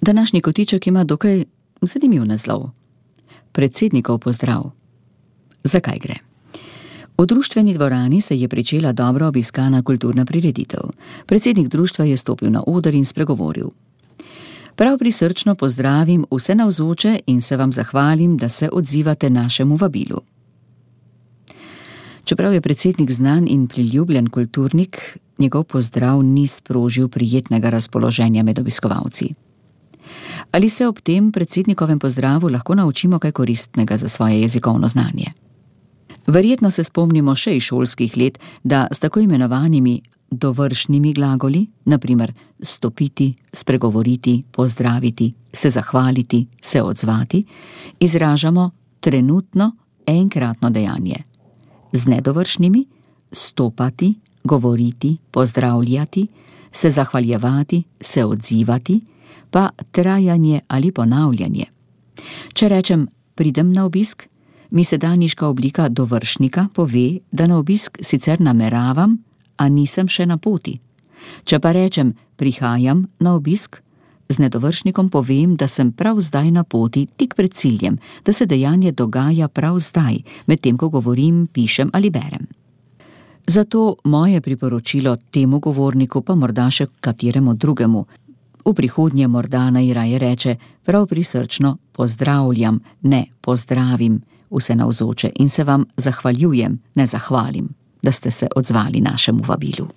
Današnji kotiček ima dokaj zanimiv naslov. Predsednikov pozdrav. Zakaj gre? V društveni dvorani se je pričela dobro obiskana kulturna prireditev. Predsednik društva je stopil na oder in spregovoril. Prav prisrčno pozdravim vse navzoče in se vam zahvalim, da se odzivate našemu vabilu. Čeprav je predsednik znan in priljubljen kulturnik, njegov pozdrav ni sprožil prijetnega razpoloženja med obiskovalci. Ali se ob tem predsednikovem pozdravu lahko naučimo kaj koristnega za svoje jezikovno znanje? Verjetno se spomnimo še iz šolskih let, da s tako imenovanimi dovršnimi glagoli, na primer stopiti, spregovoriti, pozdraviti, se zahvaliti, se odzvati, izražamo trenutno enkratno dejanje. Z nedovršnimi stopati, govoriti, pozdravljati, se zahvaljevati, se odzivati, pa trajanje ali ponavljanje. Če rečem pridem na obisk, mi sedanjiška oblika dovršnika pove, da na obisk sicer nameravam, a nisem še na poti. Če pa rečem prihajam na obisk, z nedovršnikom povem, da sem prav zdaj na poti, tik pred ciljem, da se dejanje dogaja prav zdaj, medtem ko govorim, pišem ali berem. Zato moje priporočilo temu govorniku, pa morda še kateremu drugemu, v prihodnje morda naj raje reče prav prisrčno pozdravljam, ne pozdravim vse navzoče in se vam zahvaljujem, ne zahvalim, da ste se odzvali našemu vabilu.